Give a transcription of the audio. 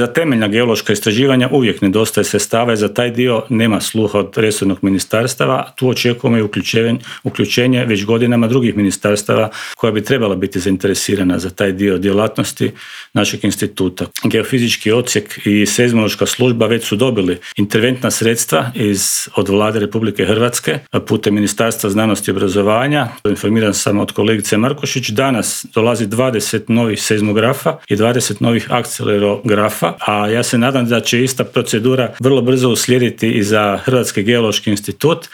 Za temeljna geološka istraživanja uvijek nedostaje sredstava i za taj dio nema sluha od resornog ministarstava. Tu očekujemo i uključenje već godinama drugih ministarstava koja bi trebala biti zainteresirana za taj dio djelatnosti našeg instituta. Geofizički odsjek i seizmološka služba već su dobili interventna sredstva od Vlade Republike Hrvatske putem Ministarstva znanosti i obrazovanja. Informiran sam od kolegice Markošić. Danas dolazi 20 novih seizmografa i 20 novih akcelerografa, a ja se nadam da će ista procedura vrlo brzo uslijediti i za Hrvatski geološki institut.